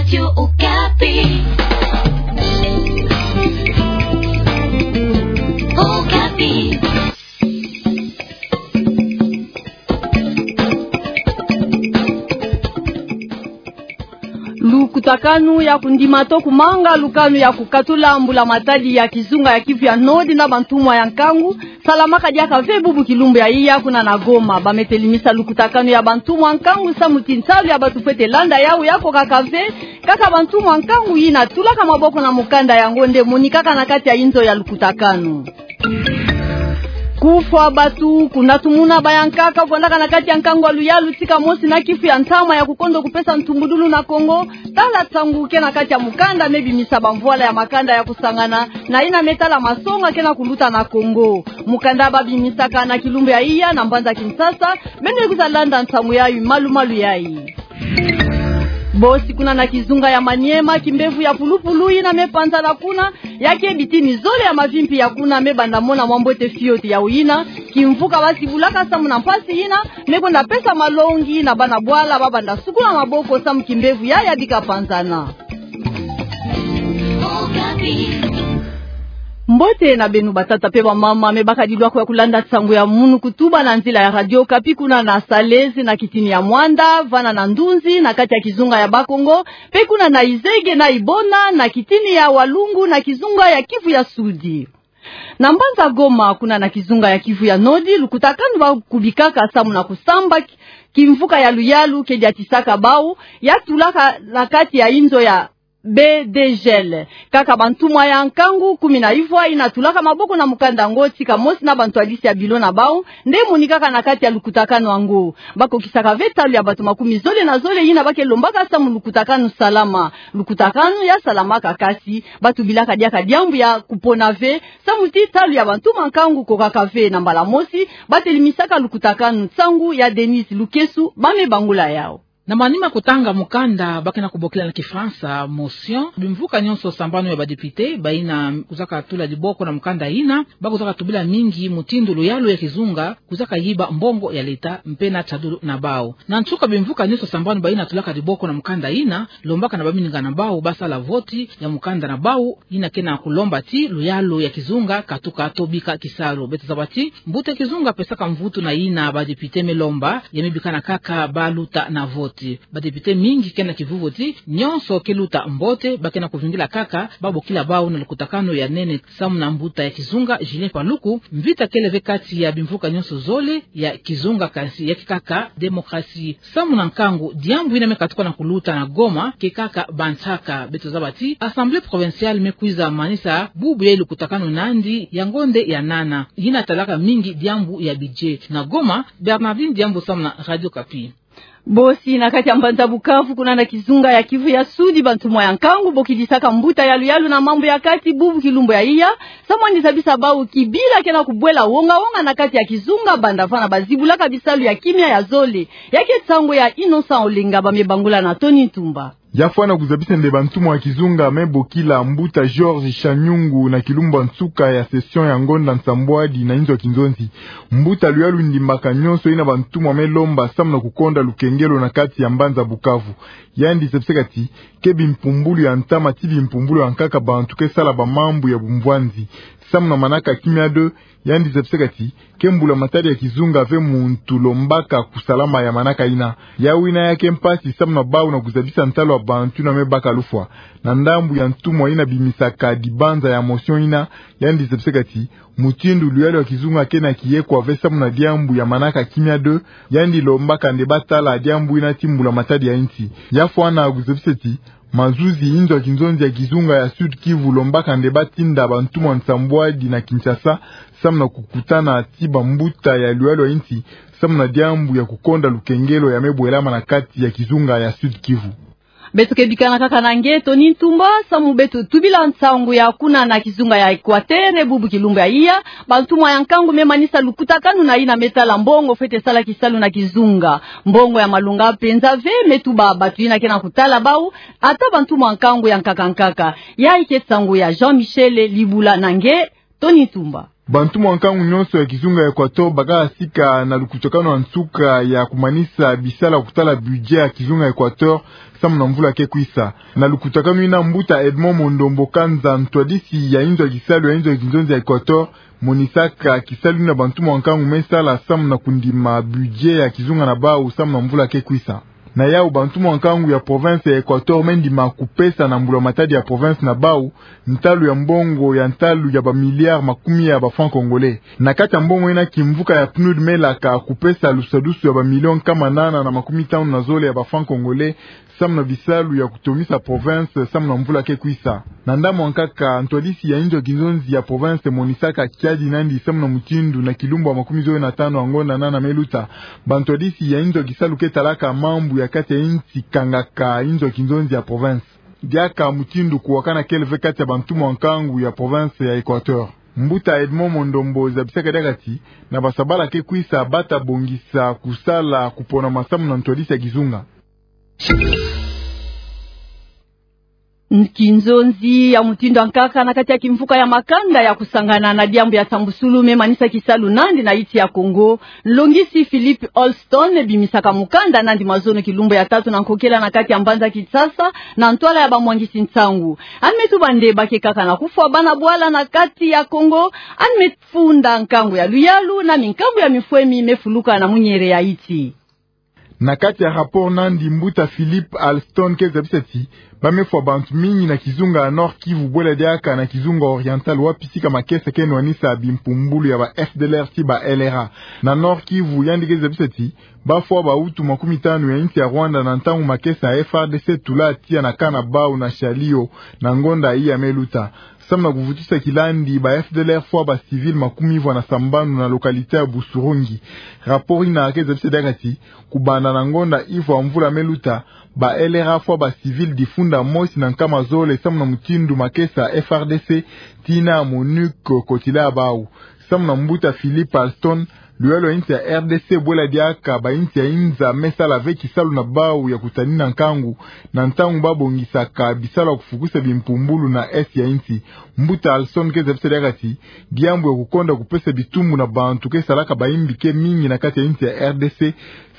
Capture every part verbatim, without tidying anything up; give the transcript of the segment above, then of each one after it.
Radio Okapi. Okapi. Lukutakanu ya kundima to kumanga lukanu ya kukatula mbula matadi ya kizunga ya Kivu ya Nord na bantumwa ya nkangu salamaka diaka ve bubu kilumbu ya iya kuna na Goma. Ba me telimisa lukutakanu ya bantumwa nkangu samu ti ntalu ya batu fwete landa yawu ya kokaka ve, kaka bantumwa nkangu yina tulaka maboko na mukanda yango nde monikaka na kati ya inzo ya lukutakanu. Kufwa batu, kuna tumuna bayankaka kwendaka na kati ya nkangu ya luyalu tika mosi na kifu ya ntama ya kukondo kupesa ntumbudulu na Kongo. Tala nsangu ke na kati ya mukanda me bimisa bamvwala ya makanda ya kusangana na yina me tala masonga ke na kuluta na Kongo. Mukanda ba bimisaka na kilumbu ya iya na mbanza Kinshasa, beno kwiza landa nsangu yayi malu-malu yayi. Bosi kuna na kizunga ya Maniema, kimbevo ya pulupulu yina me panzana kuna, ya ke bitini zole ya mavimpi ya kuna me banda mona mwa mbote fioti. Yawu yina kimvuka ba zibulaka samu na mpasi yina me kwenda pesa malongi na bana bwala ba banda sukula maboko samu kimbevo yayi ya bika panzana. Mbote na beno batata pe bamama me baka dilwa ko ya kulanda nsangu ya munu kutuba na nzila ya Radio Okapi kuna na Salezi, na kitini ya Muanda, vana na Ndunzi, na kati ya kizunga ya Bakongo, pe kuna na Izege na Ibona, na kitini ya Walungu, na kizunga ya Kivu ya Sudi. Na mbanza Goma, kuna na kizunga ya Kivu ya Nord, lukutakanu ba kubikaka samu na kusamba ki-, kimvuka ya luyalu ke diatisaka bawu, ya tulaka na kati ya inzo ya B D G L. Kaka bantumwa ya nkangu kumi na ivwa yina tulaka maboko na mukanda yango tika mosi na bantwadisi ya bilo na bawu nde monikaka na kati ya lukutakanu yango. Ba kokisaka ve ntalu ya batu makumi zole na zole yina ba ke lombaka samu lukutakanu salama. Lukutakanu ya salamaka, kasi ba tubilaka diaka diambu ya kupona ve, samu ti ntalu ya bantumwa nkangu kokaka ve. Na mbala mosi ba telimisaka lukutakanu nsangu ya Denise Lukesu, ba me bangula yawu. Na manima kutanga mukanda ba ke na kubokila na Kifalansa motion, bimvuka nyonso sambanu ya ba député bayina kwizaka tula diboko na mukanda yina, ba kwizaka tubila mingi mutindu luyalu ya kizunga kwizaka yiba mbongo ya leta mpe na tadulu na bawu. Na nsuka, bimvuka nyonso sambanu bayina tulaka diboko na mukanda yina lombaka na baminingana na bawu ba sala voti ya mukanda na bawu yina ke na kulomba ti luyalu ya kizunga katuka to bika kisalu. Beto zaba ti mbuta ya kizunga pesaka mvutu na yina ba député me lomba, ya me bikana kaka ba luta na voti. Ba député mingi ke na kivuvu ti nyonso ke luta mbote, ba ke na kuvingila kaka ba bokila bawu na lukutakanu ya nene samu na mbuta ya kizunga Julien Paluku. Mvita kele ve kati ya bimvuka nyonso zole ya kizunga, kasi ya ke kaka démocratie. Samu na nkangu, diambu yina me katuka na kuluta na Goma ke kaka bansaka. Beto zaba ti Assemblée provinciale me kwiza manisa bubu ya lukutakanu nandi, yango nde ya nana, yina talaka mingi diambu ya budget. Na Goma, Bernardine Diambu samu na Radio Okapi. Bosi na kati ya mbanza Bukavu, kuna na kizunga ya Kivu ya Sudi, bantumwa ya nkangu bokidisaka mbuta ya luyalu na mambu ya kati bubu kilumbu ya iya, samu yandi zabisa bawu kibila ke na kubwela wonga-wonga na kati ya kizunga banda vana ba zibulaka bisalu ya kimia ya zole. Ya ke nsangu ya Innocent Olenga, ba me bangula na Tony Ntumba. Ya fwana kuzabisa nde bantumwa ya kizunga me bokila mbuta Georges Chanyungu na kilumbu ya nsuka ya session ya ngonda nsambwadi na inzo ya kinzonzi. Mbuta luyalu ndimbaka nyonso yina bantumwa me lomba samu na kukonda lukengelo na kati ya mbanza Bukavu. Yandi zabisaka ti ke bimpumbulu ya ntama ti bimpumbulu ya nkaka bantu ke sala bamambu ya bumvwanzi. Samu na manaka kimia deux, yandi zabisaka ti ke mbula matadi ya kizunga ve muntu lombaka kusalama ya manaka yina. Yawu yina ya ke mpasi samu na bawu na kuzabisa ntalu ya bantu yina me baka lufwa. Na ndambu ya ntumwa yina bimisaka dibanza ya motion yina, yandi zabisaka ti mutindu luyalu ya kizunga ke na kiyekwa ve samu na diambu ya manaka kimia deux, yandi lombaka nde ba tala diambu yina ti mbula matadi ya insi. Ya fwana kuzabisa ti mazuzi inzo ya kinzonzi ya kizunga ya Sud-Kivu lombaka nde ba tinda bantumwa nsambwadi na Kinshasa samu na kukutana ti bambuta ya luyalu ya insi samu na diambu ya kukonda lukengelo ya me bwelama na kati ya kizunga ya Sud-Kivu. Beto ke bikana kaka na nge Tony Ntumba samu beto tubila nsangu ya kuna na kizunga ya Equateur bubu kilumbu ya iya. Bantumwa ya nkangu me manisa lukutakanu na yina me tala mbongo fwete sala kisalu na kizunga. Mbongo ya malonga mpenza ve me tuba batu yina ke na kutala bawu, ata bantumwa nkangu ya nkaka-nkaka. Yayi ke nsangu ya Jean-Michel Libula na nge Tony Ntumba. Bantumwa nkangu nyonso ya kizunga ya Equateur bakaka sika na lukutakanu ya nsuka ya kumanisa bisalu ya kutala budget ya kizunga ya Equateur. samu na mvula ke kwisa. Na lukutakanu ina, mbuta Edmond Mondombo Kanza, ntwadisi ya inzo ya kisalu ya inzo ya kinzonzi ya Equateur, monisaka kisalu ina bantu mwa nkangu me sala samu na kundima budget ya kizunga na bau samu na mvula ke kwisa. Na yau, bantu mwa nkangu ya province ya Equateur me ndima kupesa na mbula matadi ya province na bau ntalu ya mbongo ya ntalu ya ba milliards makumi ya ba francs congolais. Na kati ya mbongo ina, kimvuka ya PNUD me laka kupesa lusadusu ya ba millions nkama nana na makumi tanu na zole ya ba francs congolais samu na bisalu ya kutomisa province samu na mvula ke kwisa. Na ndambu ya nkaka, ntwadisi ya inzo ya kinzonzi ya province monisaka kiadi nandi samu na mutindu na kilumbu ya makumi zole na tanu ya ngonda nana me luta, bantwadisi ya inzo ya kisalu ke talaka mambu ya kati ya insi kangaka inzo ya kinzonzi ya province. Diaka mutindu kuwakana kele ve kati ya bantu mwa nkangu ya province ya Equateur. Mbuta Edmond Mondombo zabisaka diaka ti, na basabala ke kwisa, bata bongisa kusala kupona masamu na ntwadisi ya kizunga. Kinzonzi ya mutindu ya nkaka na kati ya kimvuka ya makanda ya kusangana na diambu ya sambusulu me manisa kisalu nandi na insi ya Congo, nlongisi Philippe Alston bimisaka mukanda nandi mazono kilumbu ya tatu na nkokela na kati ya mbanza Kinshasa, na ntwala ya bamwangisi nsangu. Yandi me tuba nde ba ke kaka na kufwa bana bwala na kati ya Congo, yandi me funda nkangu ya luyalu na minkambu ya mifwemi me fuluka na munyere ya insi. Na kati ya rapport nandi, mbuta Philippe Alston ke zabisa ti, ba me fwa bantu mingi na kizunga ya Nord-Kivu, bwela diaka na kizunga Oriental, wapi sika makesa ke nwanisa bimpumbulu ya ba F D L R ti ba L R A. Na Nord-Kivu, yandi ke zabisa ti, ba fwa ba Hutu makumi tanu ya insi ya Rwanda na ntangu makesa ya F A R D C tula tiya na camp na bau na Shalio, na ngonda iya me luta. Samu na kuvutisa kilandi, ba F D L R fwa ba civils makumi vwa na sambanu na localité ya Busurungi. Rapport ina ke zabisa diaka ti, kubanda na ngonda ivwa mvula me luta, ba L R A fwa ba civils difunda mosi na nkama zole samu na mutindu makesa F A R D C tii na MONUC kotila bau. Samu na mbuta Philippe Alston, luyalu ya insi ya R D C bwela diaka ba insi ya inza me sala ve kisalu na bau ya kutanina nkangu, na ntangu ba bongisaka bisalu ya kufukusa bimpumbulu na est ya insi. Mbuta Alston ke zabisa diaka ti, diambu ya kukonda kupesa bitumbu na bantu ke salaka ba imbi ke mingi na kati ya insi ya R D C,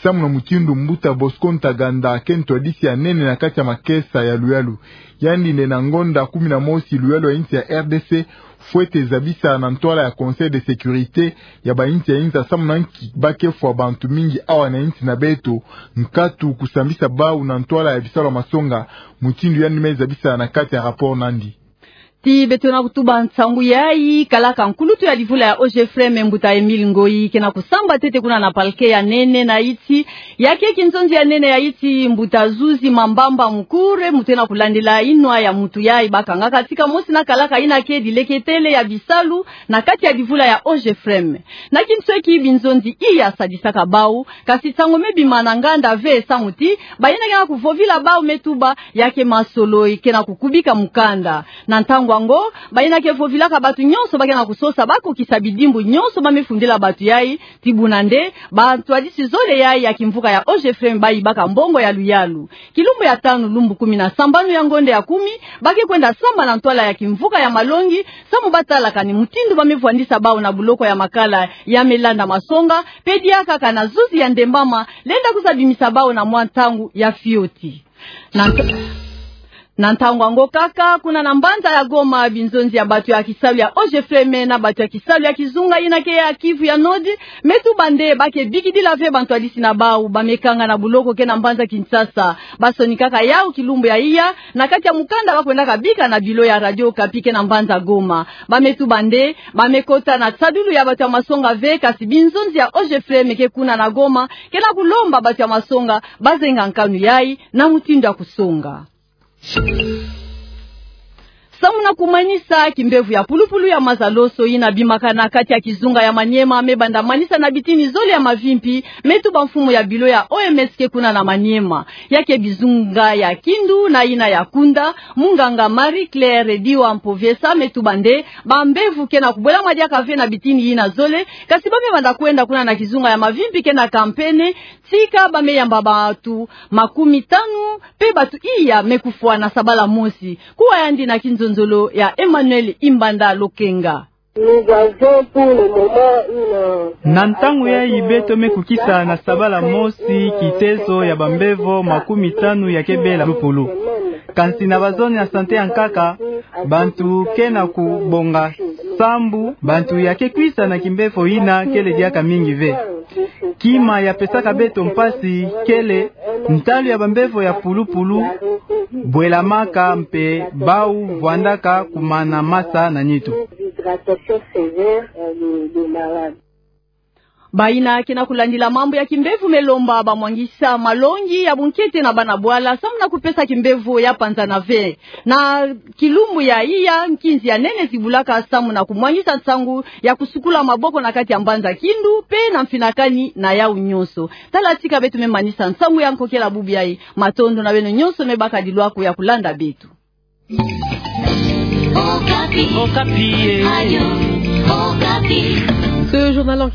samu na mutindu mbuta Bosco Ntaganda ke ntwadisi ya nene na kati ya makesa ya luyalu. Yandi nde na ngonda kumi na mosi luyalu ya insi ya R D C fwete zabisa na ntwala ya Conseil de sécurité ya ba insi ya inza samu na nki ba ke fwa bantu mingi awa na insi na beto, nkatu kusambisa bau na ntwala ya bisalu ya masonga, mutindu yandi me zabisa na kati ya rapport nandi. Ti beto na kutuba nsangu yayi, kalaka nkulutu ya livula ya O G F M, mbuta Emile Ngoyi, ke na kusamba ntete kuna na parquet ya nene na insi. Ya ke kinzonzi ya nene ya insi, mbuta Zuzi Mambamba Mukure, mutu ke na kulandila inwa ya mutu yayi ba kangaka, tika mosi na kalaka ina ke dileketele ya bisalu na kati ya livula ya O G F M. Na kinsweki, binzonzi iya sadisaka bau, kasi nsangu me bima na nganda ve, samu ti bayina ke na kuvovila bau me tuba ya ke masolo ke na kukubika mukanda. Na ntangu yango, bayina ke vovilaka batu nyonso ba ke na kusosa ba kokisa bidimbu nyonso ba me fundila batu yayi, ti buna nde bantwadisi zole yayi ya kimvuka ya O G F M ba yibaka mbongo ya luyalu. Kilumbu ya tanu, lumbu kumi na sambanu ya ngonda ya kumi, ba ke kwenda samba na ntwala ya kimvuka ya malongi, samu ba tala kani mutindu ba me vwandisa bau na buloko ya makala ya me landa masonga, pe diaka kana zuzi ya ndembama lenda kwiza bimisa bau na mwa ntangu ya fioti. Na nta-, na ntangu yango kaka, kuna na mbanza ya Goma, binzonzi ya batu ya kisalu ya O G F M na batu ya kisalu ya kizunga yina ke ya Kivu ya Nord, me tuba nde ba ke bikidila ve bantwadisi na bau ba me kanga na buloko ke na mbanza Kinshasa. Ba sonikaka yau kilumbu ya iya, na kati ya mukanda ba kwendaka bika na bilo ya Radio Okapi ke na mbanza Goma. Ba me tuba nde ba me kota na nsadulu ya batu ya masonga ve, kasi binzonzi ya O G F M ke kuna na Goma, ke na kulomba batu ya masonga ba zenga nkanu yayi na mutindu ya kusonga. Samu na kumanisa, kimbevo ya pulupulu ya mazaloso yina bimaka na kati ya kizunga ya Maniema me banda manisa na bitini zole ya mavimpi, me tuba mfumu ya bilo ya O M S ke kuna na Maniema. Ya ke bizunga ya Kindu na yina ya Kunda, munganga Marie-Claire Diwa Mpovesa me tuba nde bambevo ke na kubwelama diaka ve na bitini yina zole, kasi ba me banda kwenda kuna na kizunga ya mavimpi ke na kampene, tika ba me yamba batu makumi tanu, pe batu iya me kufwa na sabala mosi. Kuwa yandi na kinzonzolo ya Emmanuel Imbanda Lokenga. Nous avons pour le moment une... Na ntango yayi beto me kukisa na sabala mosi kitezo ya bambevo makumi tanu ya kebela pulupulu. Kansi na bazone ya sante ya nkaka, bantu ke na kubonga sambu, bantu ya ke kwisa na kimbevo yina kele diaka mingi ve. Kima ya pesaka beto mpasi kele ntalu ya bambevo ya pulupulu bwelamaka mpe bau vwandaka kumana masa na nitu. Bayina ke na kulandila mambu ya kimbevo me lomba bamwangisa malongi ya bunkete na bana bwala samu na kupesa kimbevo ya panzana ve. Na kilumbu ya iya, nkinzi ya nene zibulaka samu na kumwangisa nsangu ya kusukula maboko na kati ya mbanza Kindu mpe na mfinakani na yau nyonso. Tala tika beto me manisa nsangu ya nkokela bubu yayi. Matondo na beno nyonso me baka dilwaku ya kulanda beto. Okapi. Okapi, eh. Ayo, Okapi. Ce journal en